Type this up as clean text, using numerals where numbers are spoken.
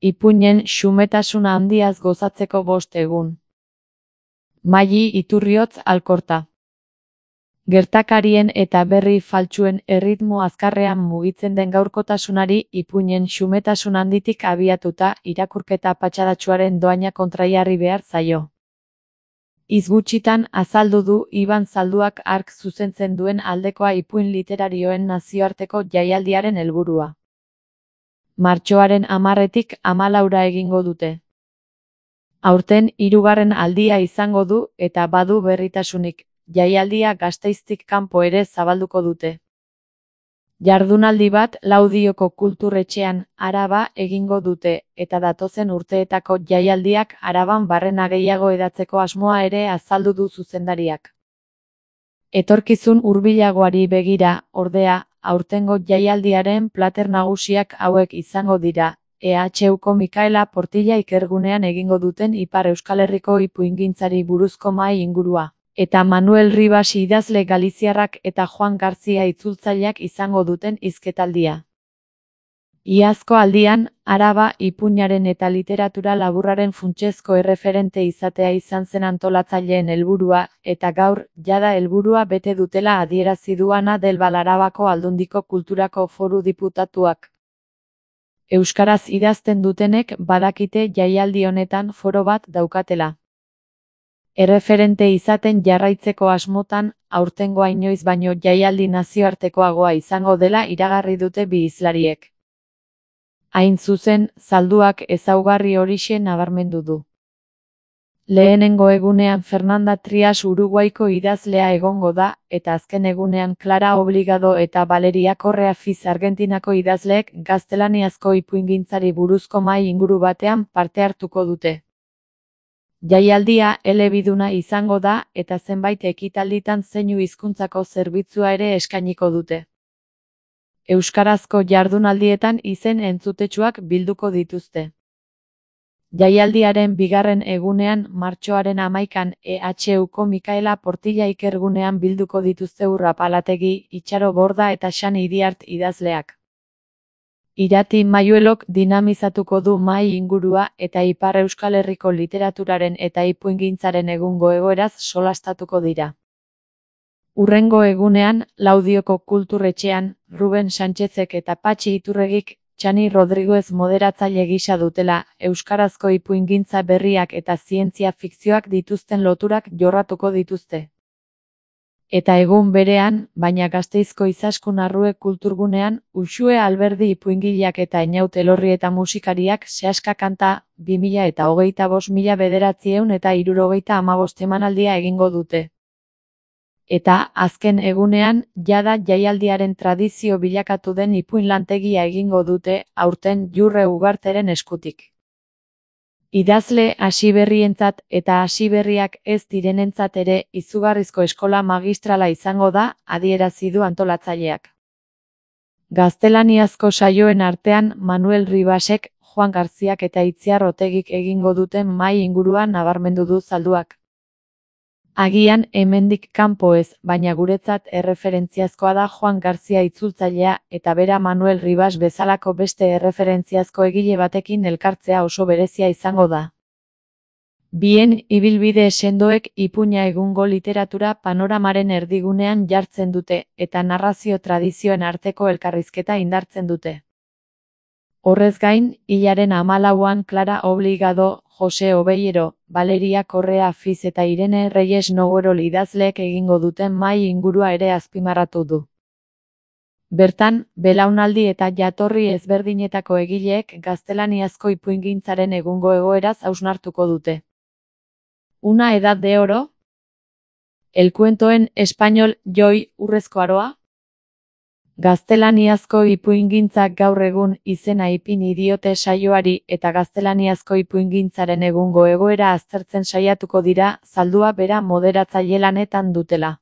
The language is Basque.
Ipuinen xumetasuna handiaz gozatzeko 5 egun. Maili Iturriotz Alkorta. Gertakarien eta berri faltsuen erritmo azkarrean mugitzen den gaurkotasunari ipuinen xumetasun handitik abiatuta irakurketa patxadatsuaren doaina kontrajarri behar zaio. Hitz gutxitan azaldu du Iban Zalduak hark zuzentzen duen aldekoa ipuin literarioen nazioarteko jaialdiaren helburua. Martxoaren 10-tik 14 egingo dute. Aurten 3. aldia izango du eta badu berritasunik, jaialdia Gasteiztik kanpo ere zabalduko dute. Jardunaldi bat Laudioko Kultur-etxean, Araba egingo dute eta datozen urteetako jaialdiak Araban barrena gehiago hedatzeko asmoa ere azaldu du zuzendariak. Etorkizun hurbilagoari begira, ordea, aurtengo jaialdiaren plater nagusiak hauek izango dira. EHUko Mikaela Portilla ikergunean egingo duten Ipar Euskal Herriko ipuingintzari buruzko mahai ingurua, eta Manuel Ribas idazle galiziarrak eta Juan Garzia itzultzaileak izango duten hizketaldia. Iazko aldian, Araba ipuinaren eta literatura laburraren funtsezko erreferente izatea izan zen antolatzaileen helburua, eta gaur, jada helburua bete dutela adierazi du Ana del Val Arabako Aldundiko Kulturako Foru Diputatuak. Euskaraz idazten dutenek badakite jaialdi honetan foro bat daukatela. Erreferente izaten jarraitzeko asmotan, aurtengoa inoiz baino jaialdi nazioartekoagoa izango dela iragarri dute bi hizlariek. Hain zuzen, Zalduak ezaugarri horixe nabarmendu du. Lehenengo egunean Fernanda Trias Uruguaiko idazlea egongo da, eta azken egunean Clara Obligado eta Valeria Correa Fiz Argentinako idazleek gaztelaniazko ipuingintzari buruzko mahai inguru batean parte hartuko dute. Jaialdia elebiduna izango da eta zenbait ekitalditan zeinu hizkuntzako zerbitzua ere eskainiko dute. Euskarazko jardunaldietan izen entzutetsuak bilduko dituzte. Jaialdiaren 2. egunean martxoaren 11an EHUko Mikaela Portilla ikergunean bilduko dituzte Urra Palategi, Itxaro Borda eta Xani Iriart idazleak. Irati Mayuelok dinamizatuko du mahai ingurua eta Ipar Euskal Herriko literaturaren eta ipuingintzaren egungo egoeraz solastatuko dira. Hurrengo egunean, Laudioko Kultur-etxean, Ruben Sánchezek eta Patxi Iturregik Txani Rodriguez moderatzaile gisa dutela, euskarazko ipuingintza berriak eta zientzia fikzioak dituzten loturak jorratuko dituzte. Eta egun berean, baina Gasteizko Izaskun Arrue Kulturgunean, Uxue Alberdi ipuingileak eta Einaut Elorri eta musikariak Sehaska Kanta 2025-1975 emanaldia egingo dute. Eta, azken egunean, jada jaialdiaren tradizio bilakatu den ipuin lantegia egingo dute, aurten Jurre Ugarteren eskutik. Idazle hasiberrientzat eta hasiberriak ez direnentzat ere izugarrizko eskola magistrala izango da, adierazi du antolatzaileak. Gaztelaniazko saioen artean Manuel Ribasek, Juan Garziak eta Itziar Otegik egingo duten mahai inguruan nabarmendu du Zalduak. Agian hemendik kanpo ez, baina guretzat erreferentziazkoa da Juan Garzia itzultzailea eta bera Manuel Ribas bezalako beste erreferentziazko egile batekin elkartzea oso berezia izango da. Bien ibilbide sendoek ipuina egungo literatura panoramaren erdigunean jartzen dute eta narrazio tradizioen arteko elkarrizketa indartzen dute. Horrez gain, hilaren 14an Clara Obligado, Jose Obeyero, Valeria Correa Fiz eta Irene Reyes Noguerol idazleek egingo duten mahai ingurua ere azpimarratu du. Bertan, belaunaldi eta jatorri ezberdinetako egileek gaztelaniazko ipuingintzaren egungo egoeraz hausnartuko dute. Una edad de oro? El cuento en español, Joy, Urrezko Aroa? Gaztelaniazko ipuingintzak gaur egun izena ipini diote saioari eta gaztelaniazko ipuingintzaren egungo egoera aztertzen saiatuko dira, Zaldua bera moderatzaile lanetan dutela.